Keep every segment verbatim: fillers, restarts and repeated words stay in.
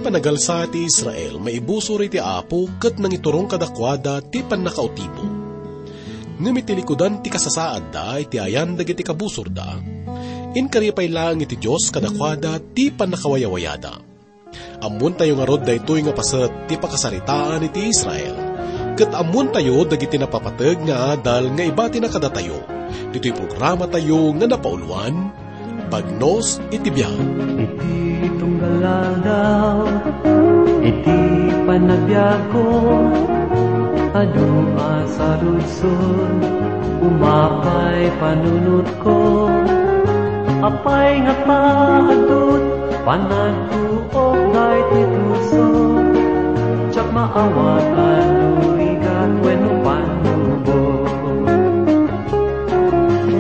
Nagalsa ti Israel maibusor iti Apo ket nangiturong kadakuada ti pannakautibo. Ngem iti likudan ti kasasaadda iti ayan dagiti kabusorda, inkari pay laeng iti Dios kadakuada ti pannakawayawayada. Ammoentayo ngarud daytoy nga paset ti pakasaritaan iti Israel, ket ammoentayo dagiti napapateg nga adal nga ibatina kadatayo ditoy programatayo nga napauluan, Bagnos iti Biag. Iti tunggal aldaw, iti panagbiagko, adu a saludsod, umapay panunotko. Apay nga taadut, panagtuok daytoy puso, diak maawat a nurigat wenno pannubo.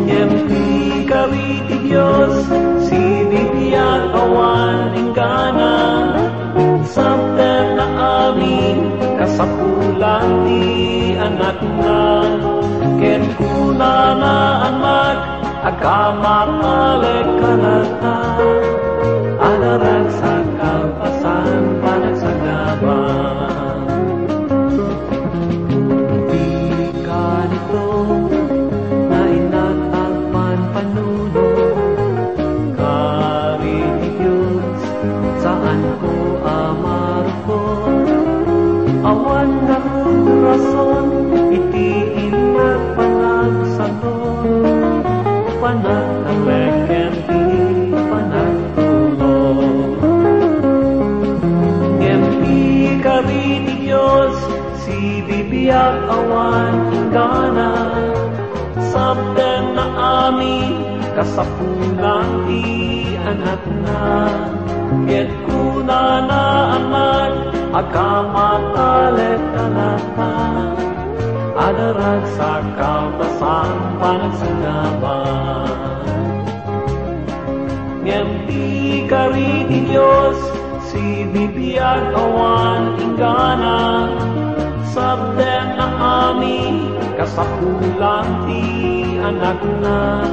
Ngem ti kari ti Dios, sibibiag awan inggana, sabten nga amin kasapulan ti anakna. Ket kunana, Anak, agkammatalekka latta, adaragsak kalpasan panagsagaba. Di kanito, nainat agpanpanunot, kari ti Dios, saanko a marukot. Awan ngarud rason iti innak panagsanon, panagtalek ken ti panagtulong. Ngem ti kari ti Dios, sibibiag awan inggana, sabten nga amin kasapulan ti anakna. Ket kunana, Anak, agkammatalekka latta, adaragsak kalpasan panagsagaba. Ngem ti kari ti Dios, sibibiag awan inggana, sabten nga amin kasapulan ti anakna.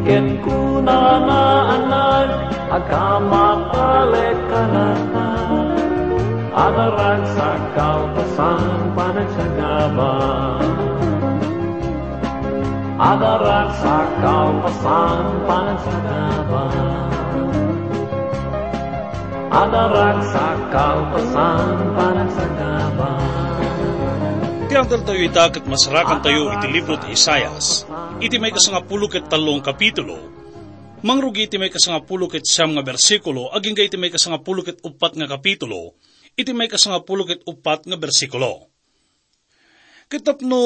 Ket kunana, Anak, agkammatalekka latta, adaragsak kalpasan panagsagaba. Adaragsak kalpasan panagsagaba. Adaragsak kalpasan panagsagaba. Ti adaltayo ita ket masarakantayo iti libro ti Isaias, iti maikasangapulo ket tallo nga kapitulo, mangrugi iti maikasangapulo ket siam nga bersikulo, agingga iti maikasangapulo ket uppat nga kapitulo, iti maikasangapulo ket uppat nga bersikulo. Ket tapno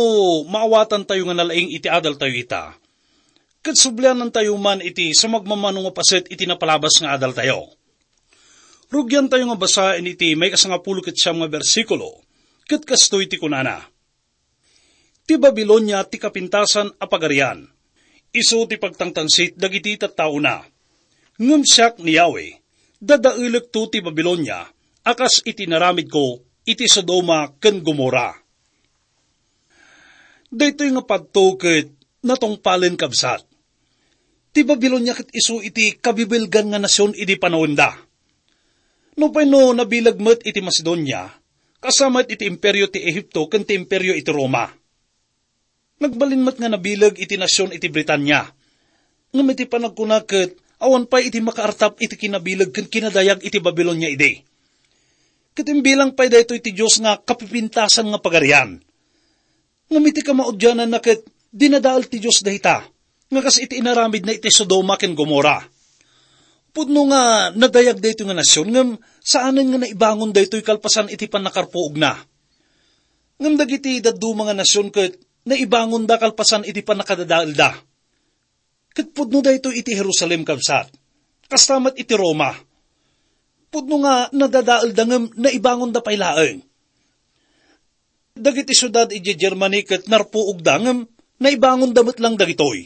maawatantayo nga nalaing iti adaltayo ita, ket sublianantayo man iti sumagmamano nga paset iti napalabas nga adaltayo. Rugiantayo nga basaen iti maikasangapulo ket siam nga bersikulo, ket kastoy ti kunana, "Ti Babilonia ti kapintasan a pagarian, isu ti pagtangtangsit dagiti tattaona. Ngem siak ni Yahweh, dadaelekto ti Babilonia a kas iti inaramidko iti Sodoma ken Gomorra." Daytoy nga padto ket natungpalen, kabsat. Ti Babilonia ket isu iti kabibilgan nga nasion idi panawenda. Nupay no nabileg met iti Macedonia, kasta met iti imperio ti Ehipto ken ti imperio iti Roma. Nagbalin met nga nabileg iti nasion iti Britania. Ngem iti panagkuna ket awan pay iti makaartap iti kinabileg ken kinadayag iti Babilonia idi. Ket imbilang pay daytoy ti Dios nga kapipintasan nga pagarian. Ngem iti kamaudiananna ket dinadael ti Dios dayta, nga kas iti inaramidna iti Sodoma ken Gomorra. Pudno nga nadayag daytoy nga nasion, ngem saanen nga naibangon daytoy kalpasan iti pannakarpuogna. Ngem dagiti dadduma nga nasion ket naibangonda kalpasan iti pannakadadaelda. Ket pudno daytoy iti Jerusalem, kabsat. Kasta met iti Roma. Pudno nga nadadaelda ngem naibangonda pay laeng. Dagiti siudad idiay Germany ket narpuogda ngem naibangonda met lang dagitoy.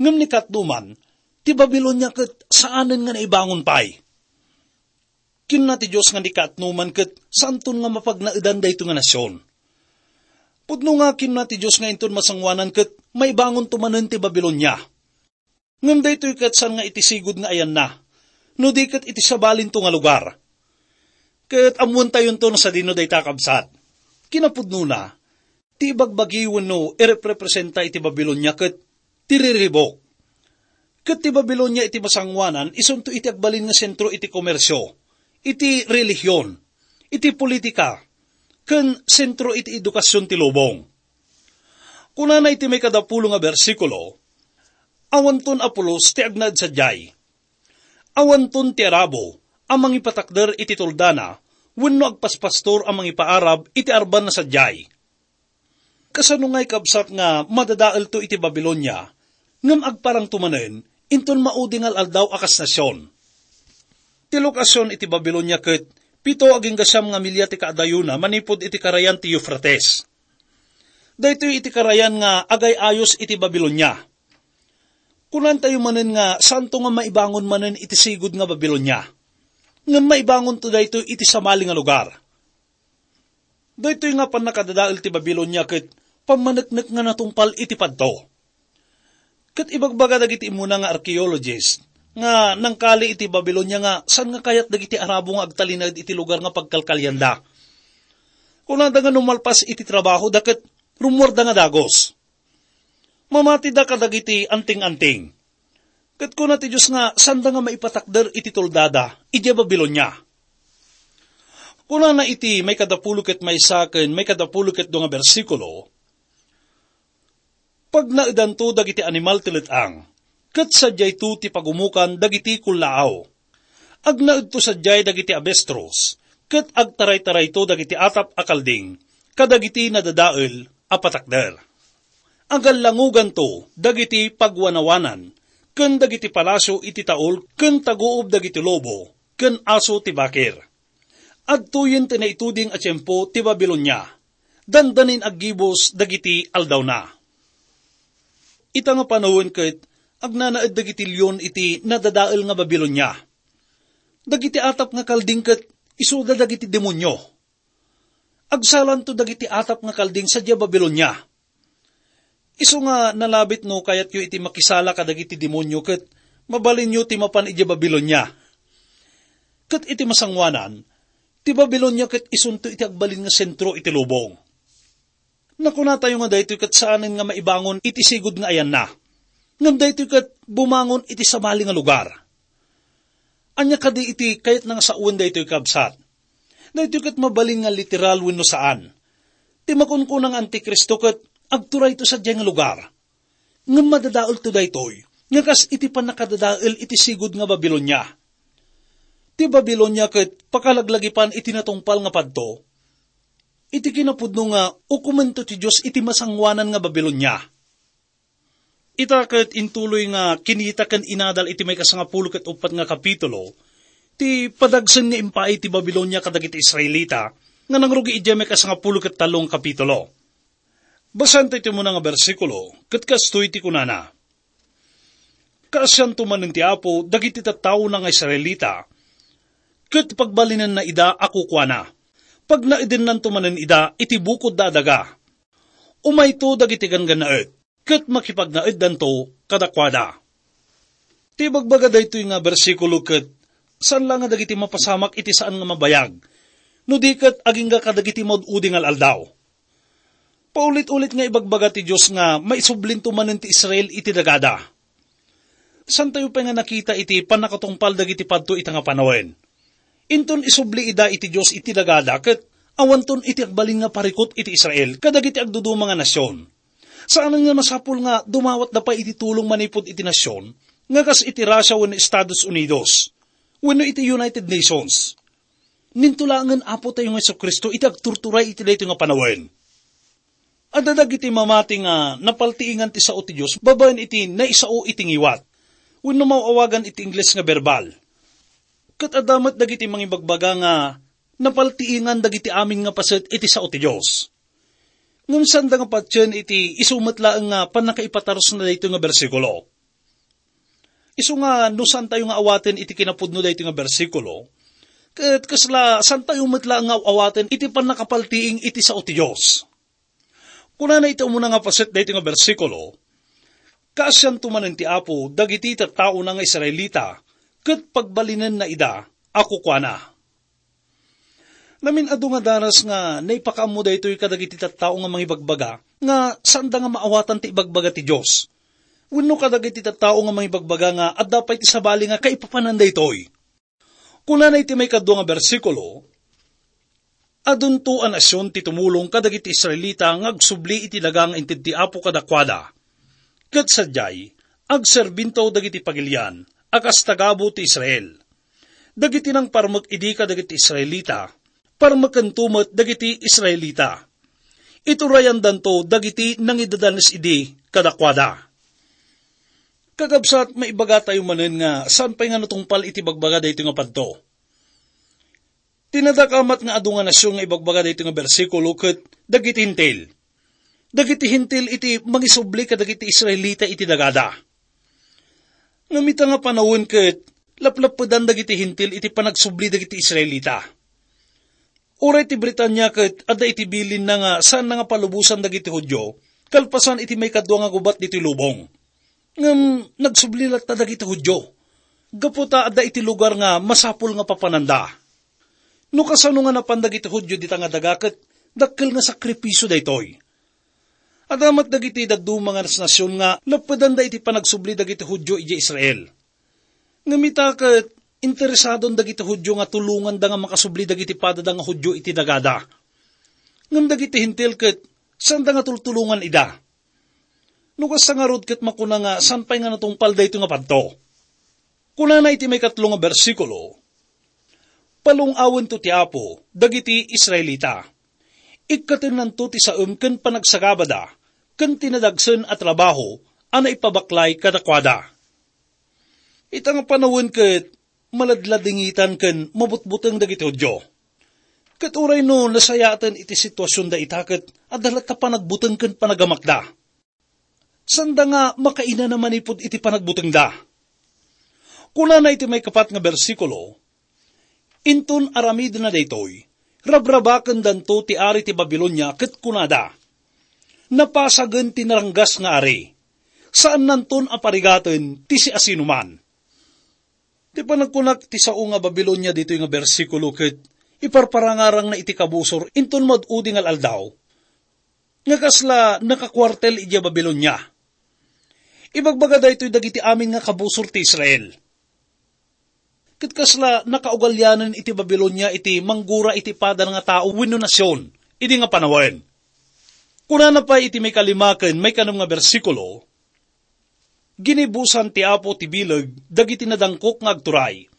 Ngem ni kaatduman, ti Babilonia ket saanen nga naibangon pay. Kinuna ti Dios nga ni kaatduman ket saanton nga mapagnaedan daytoy nga nasion. Pudno nga kinuna ti Dios nga inton masangoanan ket maibangonto manen ti Babilonia. Ngem daytoy ket saan nga iti sigud nga ayanna, no di ket iti sabalinto nga lugar. Ket ammoentayonto no sadino dayta, kabsat. Kinapudnona, ti ibagbagi wenno irepresenta iti Babilonia ket ti riribuk. Ket ti Babilonia iti masangoanan isunto iti agbalin nga sentro iti komersio, iti relihion, iti politika, ken sentro iti edukasion ti lubong. Kunana iti maikadapulo nga bersikulo, "Awanton a pulos ti agnaed sadiay. Awanton ti Arabo a mangipatakder iti tuldana wenno agpaspastor a mangipaarab iti arban a sadiay." Kasano ngay, kabsat, nga madadaelto iti Babilonia, ngem agparangto manen inton maudi nga al-aldaw a kas nasion? Ti lokasion iti Babilonia ket pito agingga siam nga milya ti kaadayona manipud iti karayan ti Eufrates. Daytoy iti karayan nga agay-ayos iti Babilonia. Kunantayo manen nga santo nga maibangon manen iti sigud nga Babilonia. Ngem maibangonto daytoy iti sabali nga lugar. Daytoy nga pannakadadael ti Babilonia ket pammaneknek nga natungpal iti padto. Ket ibagbaga dagiti immuna nga archaeologist nga nangkali iti Babilonia nga saan nga kayat dagiti Arabo nga agtalinaed iti lugar nga pagkalkalianda. Kunada nga no malpas iti trabahoda ket rummuarda nga dagus. Mamatida kadagiti anting-anting. Ket kuna ti Dios nga sanda nga maipatakder iti tuldada idiay Babilonia. Kunana iti maikadapulo ket maysa ken maikadapulo ket dua nga bersikulo, "Pagnaedanto dagiti animal ti let-ang, ket sadiayto ti pagumokan dagiti kullaaw. Agnaedto sadiay dagiti abestrus, ket agtaraytarayto dagiti atap a kalding kadagiti nadadael a patakder. Agallangoganto dagiti pagwanawanan ken dagiti palasio iti taul ken taguob dagiti lobo ken aso ti bakir. Adtoyen ti naituding a tiempo ti Babilonia. Dandanin aggibus dagiti aldawna." Ita nga panawen ket agnanaed dagiti leon iti nadadael nga Babilonia. Dagiti atap nga kalding ket isuda dagiti demonio. Agsalanto dagiti atap nga kalding sadiay Babilonia. Isu nga nalabit no kayatyo iti makisala kadagiti demonio ket mabalinyo ti mapan idiay Babilonia. Ket iti masangoanan, ti Babilonia ket isunto iti agbalin nga sentro iti lubong. Nakunatayo nga daytoy ket saanen nga maibangon iti sigud nga ayanna, ngem daytoy ket bumangon iti sabali nga lugar. Ania kadi iti kayatna nga sawen daytoy, kabsat? Daytoy ket mabalin nga literal wenno saan. Ti makunkuna nga Antikristo ket agturayto sadiay nga lugar. Ngem madadaelto daytoy nga kas iti pannakadadael iti sigud nga Babilonia. Ti Babilonia ket pakalaglagipan iti natungpal nga padto. Iti kinapudno nga ukomento ti Dios iti masangoanan nga Babilonia. Ita ket intuloy nga kinita ken inadal iti maikasangapulo ket uppat nga kapitulo ti padagsen nga impaay ti Babilonia kadagiti Israelita nga nangrugi idiay maikasangapulo ket tallo nga kapitulo. Basaen tayo ti umuna nga bersikulo, ket kastoy ti kunana, "Kaasianto manen ti Apo dagiti tattaona nga Israelita, ket pagbalinenna ida a kukuana. Pagnaedennanto manen ida iti bukodda a daga. Umayto dagiti ganggannaet, ket makipagnaeddanto kadakuada." Ti ibagbaga daytoy nga bersikulo ket saan la nga dagiti mapasamak iti saan nga mabayag, no di ket agingga kadagiti maud-udi nga al-aldaw. Paulit-ulit nga ibagbaga ti Dios nga maisublinto manen ti Israel iti dagada. Saantayo pay nga nakita iti pannakatungpal dagiti padto ita nga panawen. Inton isubli ida iti Dios iti dagada ket awanton iti agbalin nga parikut iti Israel kadagiti agduduma nga nasion. Saanen nga masapul nga dumawatda pay iti tulong manipud iti nasion nga kas iti Russia wenno Estados Unidos wenno iti United Nations. Ninto laengen Apo tayo nga Jesu-Cristo iti agturturay iti daytoy nga panawen. Adda dagiti mamati nga napaltiingan ti sao ti Dios babaen iti naisao iti ngiwat, wenno maaw-awagan iti Ingles nga berbal. Ket adda met dagiti mangibagbaga nga napaltiingan dagiti amin nga paset iti sao ti Dios. Ngem saanda nga patien iti isu met laeng nga pannakaipatarusna daytoy nga bersikulo. Isu nga no saantayo nga awaten iti kinapudno daytoy nga bersikulo, ket kasla saantayo met laeng nga awaten iti pannakapaltiing iti sao ti Dios. Kunana iti umuna nga paset daytoy nga bersikulo, "Kaasianto manen ti Apo dagiti tattaona nga Israelita, ket pagbalinenna ida a kukuana." Namin adu nga daras nga naipakaammo daytoy kadagiti tattao nga mangibagbaga nga saanda nga maawatan ti ibagbaga ti Dios. Wenno kadagiti tattao nga mangibagbaga nga adda pay ti sabali nga kaipapanan daytoy. Kunana iti maikadua nga bersikulo, "Adunto a nasion ti tumulong kadagiti Israelita nga agsubli iti daga nga inted ti Apo kadakuada. Ket sadiay, agserbinto dagiti pagilian a kas tagabu ti Israel. Dagiti nangparmek idi kadagiti Israelita, parmekento met dagiti Israelita. Iturayandanto dagiti nangidadanes idi kadakuada." Kakabsat, maibagatayo manen nga saan pay nga natungpal iti bagbaga daytoy nga padto. Ti nadakamat nga adu nga nasion nga ibagbaga daytoy nga bersikulo ket dagiti Hentil. Dagiti Hentil iti mangisubli kadagiti Israelita iti dagada. Ngem ita nga panawen ket laplappedan dagiti Hentil iti panagsubli dagiti Israelita. Uray ti Britania ket adda iti bilinna nga saanna nga palubosan dagiti Judio kalpasan iti maikadua nga gubat ditoy lubong. Ngem nagsubli latta dagiti Judio, gapu ta adda iti lugar nga masapul nga papananda. No kasano nga napan dagiti Judio dita nga daga ket dakkel nga sakripisio daytoy. Adda met dagiti dadduma nga nasion nga lappedanda iti panagsubli dagiti Judio idiay Israel. Ngem ita ket interesadon dagiti Judio nga tulonganda nga makasubli dagiti padada nga Judio iti dagada. Ngem dagiti Hentil ket saanda nga tultulongan ida. No kasta ngarud ket makuna nga saan pay nga natungpal daytoy nga padto. Kunana iti maikatlo nga bersikulo, "Palung-awento ti Apo dagiti Israelita. Ikkatennanto ti saem ken panagsagabada, ken ti nadagsen a trabaho a naipabaklay kadakuada." Ita nga panawen ket maladladingitan ken mabutbuteng dagiti Judio. Ket uray no nasayaten iti situasionda ita ket adda latta panagbuteng ken panagamakda. Saanda nga makainana manipud iti panagbutengda. Kunana iti maikapat nga bersikulo, "Inton aramidna daytoy, rabrabakendanto ti ari ti Babilonia ket kunada, 'Napasagen ti naranggas nga ari. Saannanton a parigaten ti siasinoman.'" Ti panagkunak ti sao nga Babilonia ditoy nga bersikulo ket iparparangarangna iti kabusor inton maud-udi nga al-aldaw, nga kasla nakakuartel idiay Babilonia. Ibagbaga daytoy dagiti amin nga kabusor ti Israel. Ket kasla nakaugalianen iti Babilonia iti manggura iti pada nga tao wenno nasion idi nga panawen. Kunana pay iti maikalima ken maikanem nga bersikulo, "Ginibusan ti Apo ti bileg dagiti nadangkok nga agturay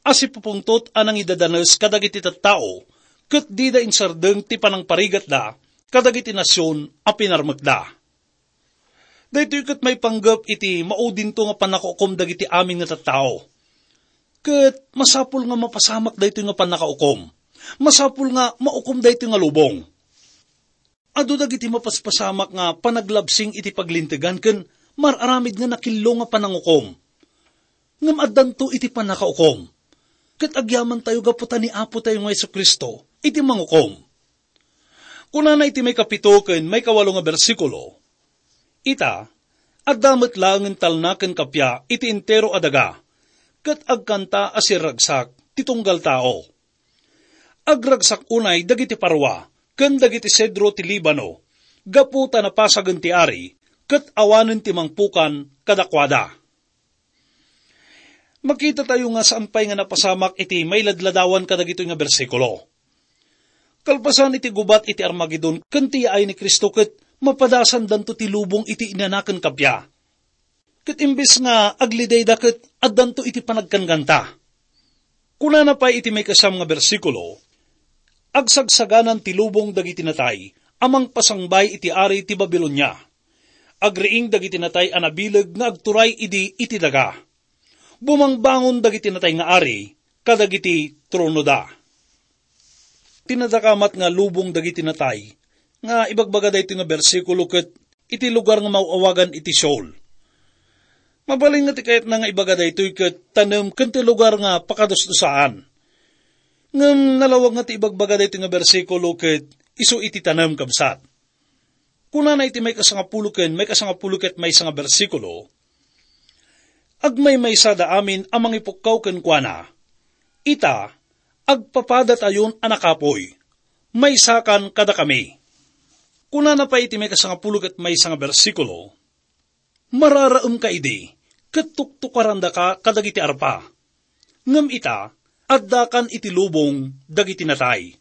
a sipupungtot a nangidadanes kadagiti tattao, ket dida insardeng ti panangparigatda kadagiti nasion a pinarmekda." Daytoy ket maipanggep iti maudinto nga pannakaukom dagiti amin nga tattao. Ket masapul nga mapasamak daytoy nga pannakaukom. Masapul nga maukom daytoy nga lubong. Adu dagiti mapaspasamak nga panaglabsing iti paglintegan ken mar-aramid nga nakillo nga panangukom. Ngem addanto iti pannakaukom. Ket agyamantayo gapu ta ni Apotayo nga Jesu-Cristo iti mangukom. Kunana iti maikapito ken maikawalo nga bersikulo, "Ita, adda met laengen talna ken kappia iti entero a daga, ket agkanta a sirragsak ti tunggal tao. Agragsak unay dagiti parwa ken dagiti sedro ti Libano, gapu ta napasagen ti ari, ket awanen ti mangpukan kadakuada." Makitatayo nga saan pay nga napasamak iti mailadladawan kadagitoy nga bersikulo. Kalpasan iti gubat iti Armagedon ken ti yaay ni Cristo ket mapadasandanto ti lubong iti inana ken kappia. Ket imbes nga aglidayda ket addanto iti panagkankanta. Kunana pay iti maikasam nga bersikulo, "Agsagsaganan ti lubong dagiti natay a mangpasangbay iti ari ti Babilonia. Agriing dagiti natay a nabileg nga agturay idi iti daga. Bumangbangon dagiti natay nga ari kadagiti tronoda." Ti nadakamat nga lubong dagiti natay nga ibagbaga daytoy nga bersikulo ket iti lugar nga maaw-awagan iti Sheol. Mabalin nga ti kayatna nga ibaga daytoy ket tanem ken ti lugar nga pakadusdusaan. Ngem nalawag nga ti ibagbaga daytoy nga bersikulo ket isu iti tanem, kabsat. Kunana iti maikasangapulo ken maikasangapulo ket maysa nga bersikulo, "Agmaymaysada amin a mangipukkaw kenkuana. Ita, agpapadatayon a nakapuy, maysakan kadakami. Kunana pay iti maikasangapulo ket maysa nga bersikulo, "Mararaemka idi, ket tuktukarandaka kadagiti arpa. Ngem ita, addakan iti lubong dagiti natay,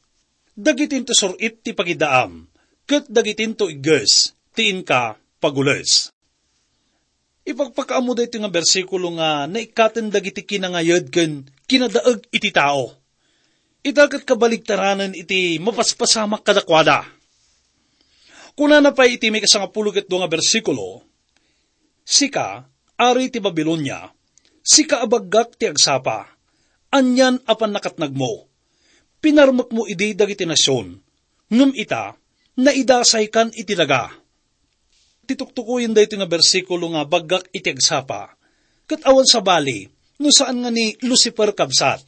dagiti intusur-it ti pagidaam, ket dagiti into igges ti inka pagules." Ipakpakaammo daytoy nga bersikulo nga naikkaten dagiti kinangayed ken kinadaeg iti tao. Ita ket kabaligtaranen iti mapaspasamak kadakuada. Kunana pay iti maikasangapulo ket dua nga bersikulo, "Sika, ari ti Babilonia, sika a baggak ti agsapa, anian a pannakatnagmo, pinarmekmo idi dagiti nasion, ngem ita, naidasaykan iti daga." Ti tuktukoyen daytoy nga bersikulo nga baggak iti agsapa, ket awan sabali no saan nga ni Lucifer kabsat.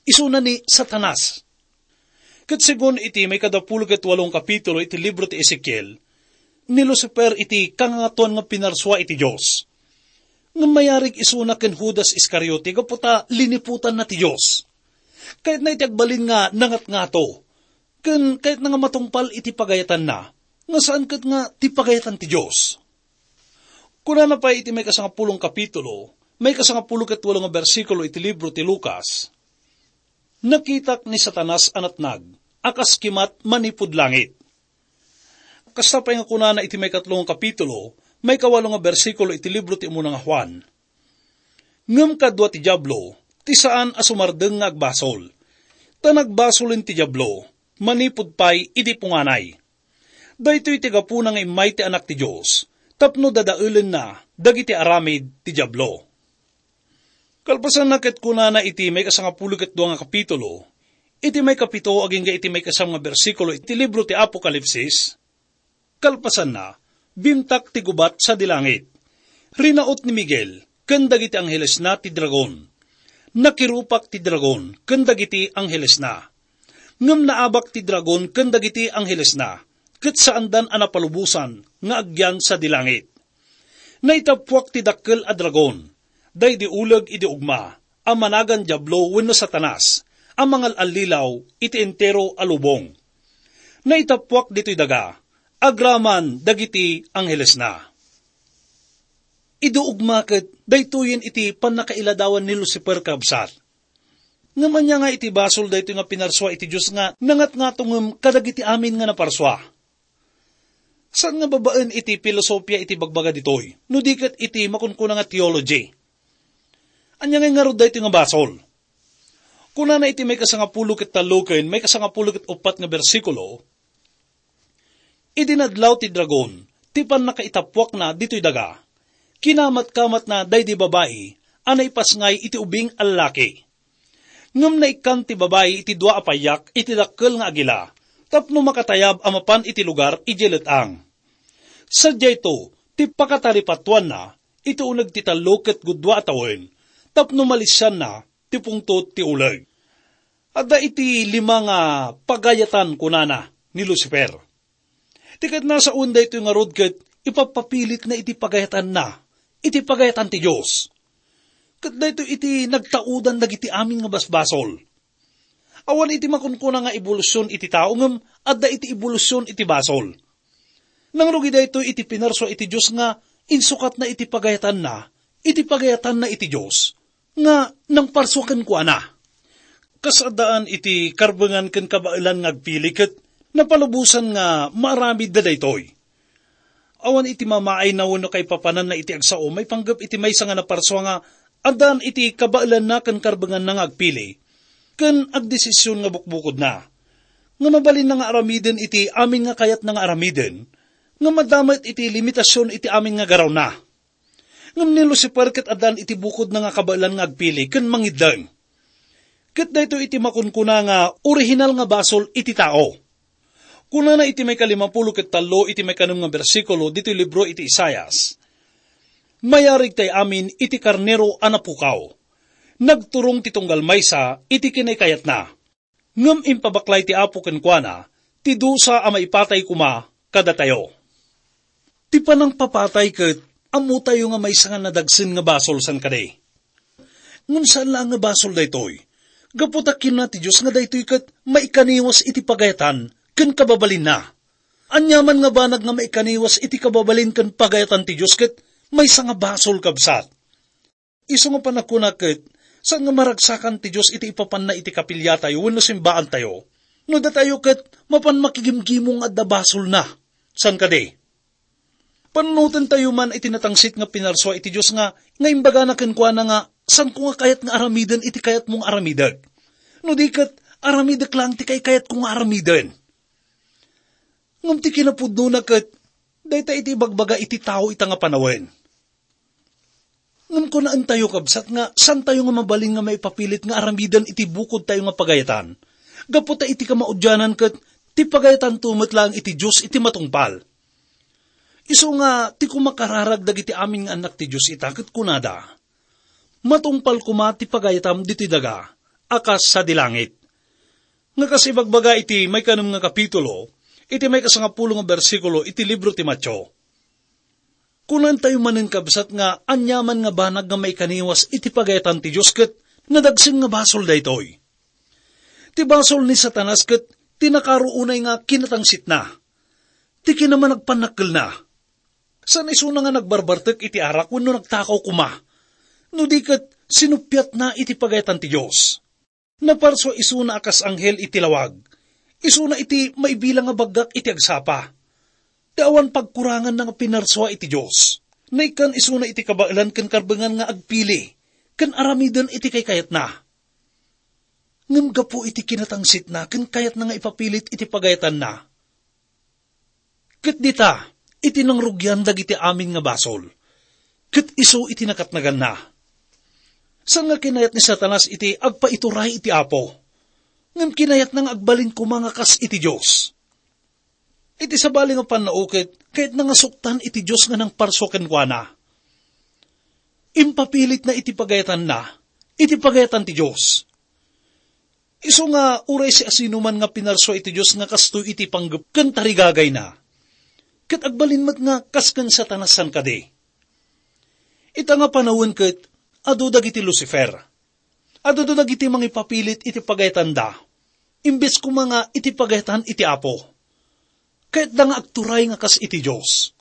Isuna ni Satanas. Ket segun iti maikadapulo ket walong kapitulo iti libro ti Ezekiel, ni Lucifer iti kangangatuan nga pinarsua iti Dios. Ngem mayarig isuna ken Judas Iscariote gapu ta liniputanna ti Dios. Kayatna iti agbalin nga nangatngato, ken kayatna nga matungpal iti pagayatanna, nga saan ket nga ti pagayatan ti Dios. Kunana pay iti maikasangapulong kapitulo, maikasangapulo ket walo nga bersikulo iti libro ti Lucas, "Nakitak ni Satanas a natnag a kas kimat manipud langit." Kasta pay nga kunana iti maikatlo nga kapitulo, maikawalo nga bersikulo iti libro ti Umuna nga Juan, "Ngem kadua ti Diablo ti saan a sumardeng nga agbasol, ta nagbasolen ti Diablo manipud pay idi punganay. Daytoy ti gapuna nga immay ti Anak ti Dios tapno dadaelenna dagiti aramid ti Diablo." Kalpasanna ket kunana iti maikasangapulo ket dua nga kapitulo, iti maikapito agingga iti maikasam nga bersikulo iti libro ti Apokalipsis, "Kalpasanna, bimtak ti gubat sadi langit. Rinaut ni Miguel ken dagiti anghelesna ti dragon. Nakirupak ti dragon ken dagiti anghelesna. Ngem naabak ti dragon ken dagiti anghelesna, ket saandan a napalubosan nga agyan sadi langit. Naitappuak ti dakkel a dragon, daydi uleg idi ugma, a managan Diablo wenno Satanas, a mangal-allilaw iti entero a lubong. Naitappuak ditoy daga, agraman dagiti anghelesna." Idi ugma ket daytoyen iti pannakailadawan ni Lucifer, kabsat. Ngem ania nga iti basol daytoy nga pinarsua iti Dios nga nangatngatongem kadagiti amin nga naparsua? Saan nga babaen iti filosofia iti bagbaga ditoy, no di ket iti makunkuna nga theology. Ania nga ngarud daytoy nga basol? Kunana iti maikasangapulo ket tallo ken maikasangapulo ket uppat nga bersikulo, "Idi nadlaw ti dragon ti pannakaitappuakna ditoy daga, kinamatkamatna daydi babai a naipasngay iti ubing a lalaki. Ngem naikkan ti babai iti dua a payak iti dakkel nga agila tapno makatayab a mapan iti lugar idiay let-ang. Sadiayto ti pakataripatuanna iti uneg ti tallo ket gudua a tawen tapno malisianna ti pungtot ti uleg." Adda iti lima nga pagayatan, kunana, ni Lucifer. Ti ket nasaon daytoy ngarud ket ipapapilitna iti pagayatanna, iti pagayatan ti Dios. Ket daytoy iti nagtaudan dagiti amin nga basbasol. Awan iti makunkuna nga ebolusyon iti tao, ngem adda iti ebolusyon iti basol. Nangrugi daytoy iti pinarsua iti Dios nga insukatna iti pagayatanna, iti pagayatanna iti Dios, nga nangparsua kenkuana. Kas addaan iti karbengan ken kabaelan nga agpili ket napalubosan nga maaramidda daytoy. Awan iti mamaayna wenno kaipapananna iti agsao maipanggep iti maysa nga naparsua nga addaan iti kabaelanna ken karbenganna nga agpili ken agdesisyon nga bukbukodna, nga mabalinna nga aramiden iti amin nga kayatna nga aramiden, nga madda met iti limitasyon iti amin nga garawna. Ngem ni Lucifer ket addaan iti bukodna nga kabaelan nga agpili ken mangiddeng. Ket daytoy iti makunkuna nga orihinal nga basol iti tao. Kunana iti maikalimapulo ket tallo iti maikanem nga bersikulo ditoy libro iti Isaias, "Mayarig tay amin iti karnero a napukaw. Nagturong ti tunggal maysa iti kinaykayatna. Ngem impabaklay ti Apo kenkuana ti dusa a maipatay koma kadatayo." Ti panangpapatay ket ammotayo nga maysa nga nadagsen nga basol, saan kadi? Ngem saan laeng nga basol daytoy. Gapu ta kinuna ti Dios nga daytoy ket maikaniwas iti pagayatan ken kababalinna. Aniaman nga banag nga maikaniwas iti kababalin ken pagayatan ti Dios ket maysa nga basol, kabsat. Isu nga panagkuna ket, saan nga maragsakan ti Dios iti ipapanna iti kapiliatayo wenno simbaantayo. No datayo ket, mapan makigimgimong nga adda basolna. Saan kadi? Panunotentayo man iti natangsit nga pinarsua iti Dios nga, nga imbagana kenkuana nga, "Saanko nga kayat nga aramiden iti kayatmo nga aramidek. No di ket, aramidek laeng ti kaykayatko nga aramiden." Ngem ti kinapudnona ket, dayta iti ibagbaga iti tao ita nga panawen. Ngem kunaentayo, kabsat, nga saantayo nga mabalin nga maipapilit nga aramiden iti bukodtayo nga pagayatan. Gapu ta iti kamaudianan ket ti pagayatanto met laeng iti Dios iti matungpal. Isu nga ti kumakararag dagiti amin nga annak ti Dios ita ket kunada, "Matungpal koma ti pagayatam ditoy daga a kas sadi langit." Nga kas ibagbaga iti maikanem nga kapitulo, iti maikasangapulo nga bersikulo iti libro ti Mateo. Kunantayo manen, kabsat, nga aniaman nga banag nga maikaniwas iti pagayatan ti Dios ket nadagsen nga basol daytoy. Ti basol ni Satanas ket ti nakaruonay nga kinatangsitna, ti kinamanagpannakkelna. Saan isuna nga nagbarbartek iti arak wenno nagtakaw koma, no di ket sinuppiatna iti pagayatan ti Dios. Naparsua isuna a kas anghel iti lawag. Isuna iti maibilang nga baggak iti agsapa. Ti awan pagkuranganna nga pinarsua iti Dios. Naikkan isuna iti kabaelan ken karbengan nga agpili ken aramiden iti kaykayatna. Ngem gapu iti kinatangsitna ken kayatna nga ipapilit iti pagayatanna, ket dita iti nangrugian dagiti amin nga basol, ket isu iti nakatnaganna. Saan nga kinayat ni Satanas iti agpaituray iti Apo, ngem kinayatna nga agbalin koma nga kas iti Dios. Iti sabali nga pannao ket, kayatna nga suktan iti Dios nga nangparsua kenkuana. Impapilitna iti pagayatanna, iti pagayatan ti Dios. Isu nga uray siasinoman nga pinarsua iti Dios nga kastoy iti panggep ken tarigagayna, ket agbalin met nga kas ken Satanas, saan kadi? Ita nga panawen ket, adu dagiti Lucifer. Adu dagiti mangipapilit iti pagayatanda, imbes koma nga iti pagayatan iti Apo. Kayatda nga agturay nga kas iti Dios.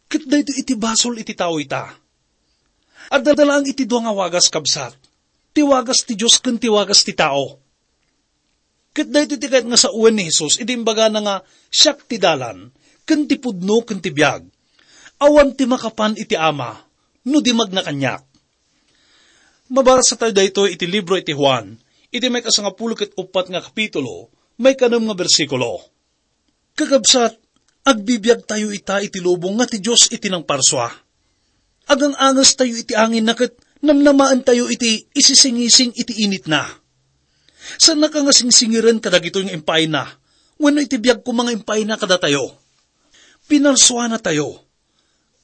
Ket daytoy iti basol iti tao ita. Adda laeng iti dua nga wagas, kabsat, ti wagas ti Dios ken ti wagas ti tao. Ket daytoy ti kayat nga sawen ni Jesus idi imbagana nga, "Siak ti dalan, ken ti pudno, ken ti biag. Awan ti makapan iti Ama, no di magna kaniak." Mabasa tayo daytoy iti libro iti Juan, iti maikasangapulo ket uppat nga kapitulo, maikanem nga bersikulo. Kakabsat, agbibiagtayo ita iti lubong nga ti Dios iti nangparsua. Agang-angestayo iti anginna ket namnamaentayo iti isisingising iti initna. Saannaka nga singsingiren kadagitoy nga impaayna, wenno iti biag koma nga impaayna kadatayo. Pinarsuanatayo.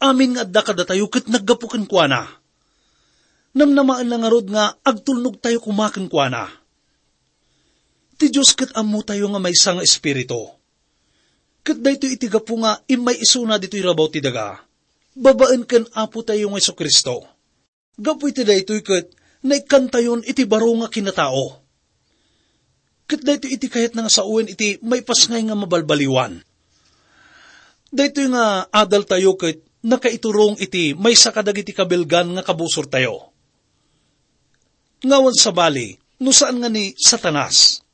Amin nga adda kadatayo ket naggapu kenkuana. Namnamaenna ngarud nga agtulnogtayo koma kenkuana. Ti Dios ket ammotayo nga maysa nga Espiritu. Ket daytoy iti gapu nga immay isuna ditoy rabaw ti daga, babaen ken Apotayo nga Jesu-Cristo. Gapu iti daytoy ket naikkantayon iti baro nga kinatao. Ket daytoy iti kayatna nga sawen iti maipasngay nga mabalbaliwan. Daytoy nga adaltayo ket nakaiturong iti maysa kadagiti kabilgan nga kabusortayo. Nga awan sabali, no saan nga ni Satanas.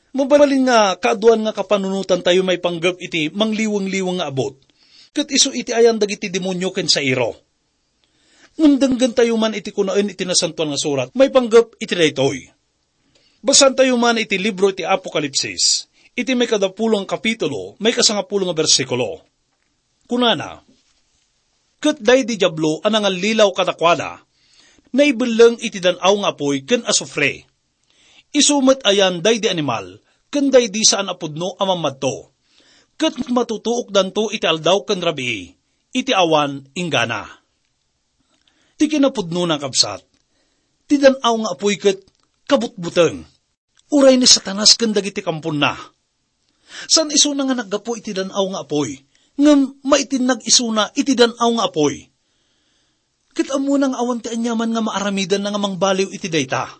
Mabalin nga kaaduan nga kapanunotantayo maipanggep iti mangliweng-liweng nga abut, ket isu iti ayan dagiti demonio ken sairo. Ngem denggentayo man iti kunaen iti Nasantoan nga Surat maipanggep iti daytoy. Basaentayo man iti libro iti Apokalipsis, iti maikadapulo nga kapitulo, maikasangapulo nga bersikulo. Kunana, "Ket daydi Diablo a nangallilaw kadakuada, naibelleng iti dan-aw nga apuy ken asufre. Isu met ayan daydi animal ken daydi saan a pudno a mammadto, ket matutuokdanto iti aldaw ken rabii, iti awan inggana." Ti kinapudnona, kabsat, ti dan-aw nga apuy ket kabutbuteng, uray ni Satanas ken dagiti kamponna. Saan isuna nga naggapu iti dan-aw nga apuy, ngem maitinnag isuna iti dan-aw nga apuy. Ket ammona nga awan ti aniaman nga maaramidanna nga mangbaliw iti dayta.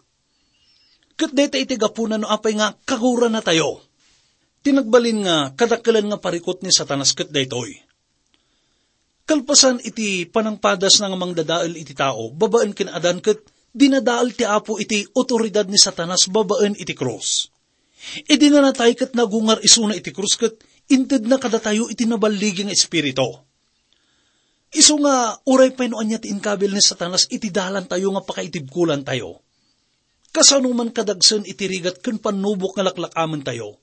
Ket dayta iti gapuna no apay nga kaguranatayo. Ti nagbalin nga kadakkelan nga parikut ni Satanas ket daytoy. Kalpasan iti panangpadasna nga mangdadael iti tao babaen ken Adan ket dinadael ti Apo iti awtoridad ni Satanas babaen iti krus. Idi nga natay ket nagungar isuna iti krus ket intedna kadatayo iti naballigi nga espiritu. Isu nga uray pay no ania ti inkabil ni Satanas iti dalantayo nga pakaitibkolantayo. Kasano man kadagsen iti rigat ken pannubok nga laklakaamentayo.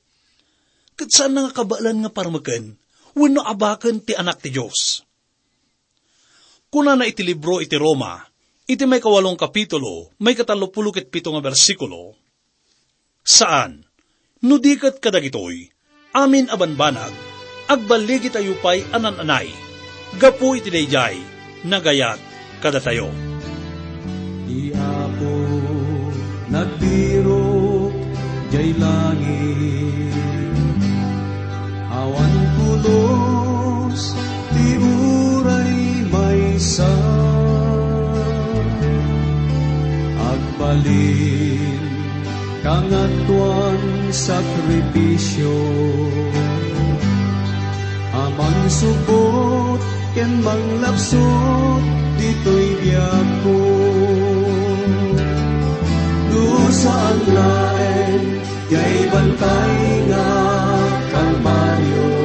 Ket saanna nga kabaelan nga parmeken wenno abaken ti Anak ti Dios. Kunana iti libro iti Roma, iti maikawalong kapitulo, maikatallopulo ket pito nga bersikulo, "Saan, no di ket kadagitoy, amin a banbanag, agballigitayo pay a nan-anay, gapu iti daydiay nagayat kadatayo." Ti Apo nagbirok jay langit, awan pulos ti uray maysa. Agbalin Kangatoan sakrifisio a mangsupot ken manglapsot ditoy biagko. No saan laeng jay bantay nga Kalbario,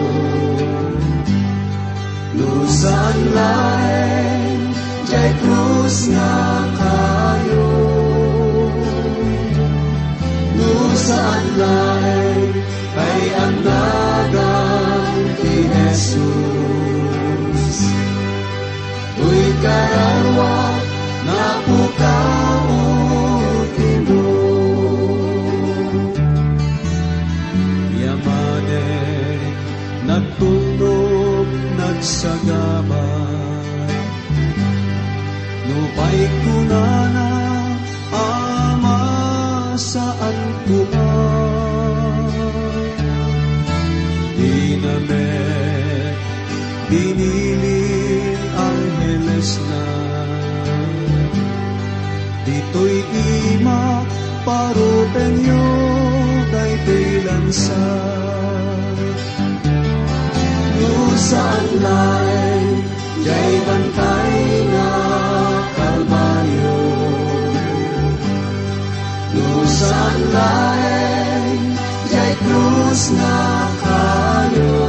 no saan laeng jay krus nga kayo, no saan laeng kay agnagan ti Jesus. Toy kararua, napukaw ti Dios. Yamanen nagtulnog, nagsagaba. Nupay kunana, Ama, saan koma. Dina met binilin anghelesna. Ditoy ima, parupenyo daytoy lansa. No saan laeng jay bantay nga Kalbario, no saan laeng jay krus nga kayo,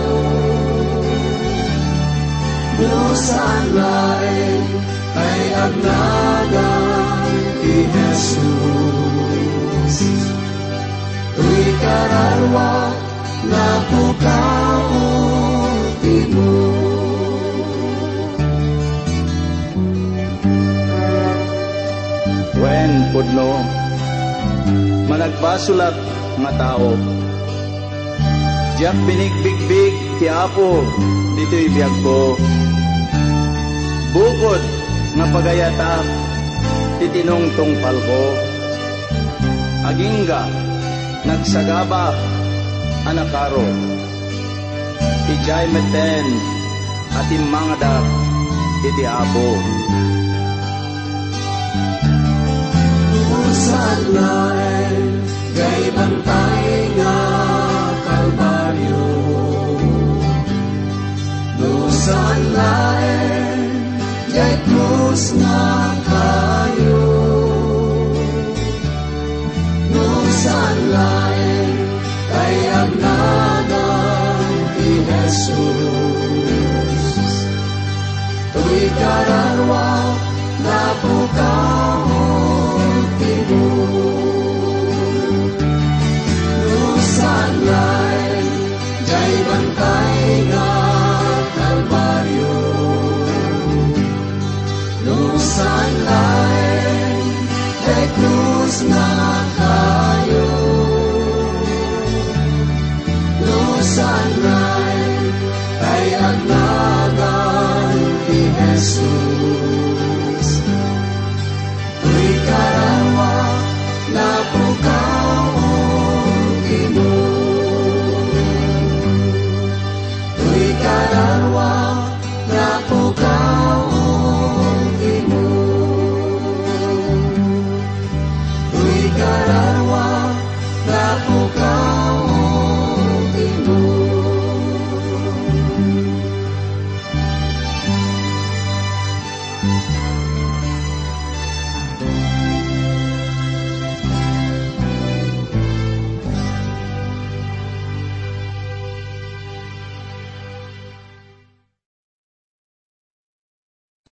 no saan laeng kay agnagan ti Jesus. Toy kararua, napukaw ti Dios. Wen, pudno, managbasolak nga tao. Diak binigbigbig ti Apo ditoy biagko. Bukod nga pagayatak ti tinungtungpalko, agingga nagsagabak a nakaro. Idiay metten a timmangadak iti Apo. No saan laeng jay bantay nga Kalbario, no saan laeng jay krus nga kayo, no saan laeng kay agnagan ti Jesus. Toy kararua, napukaw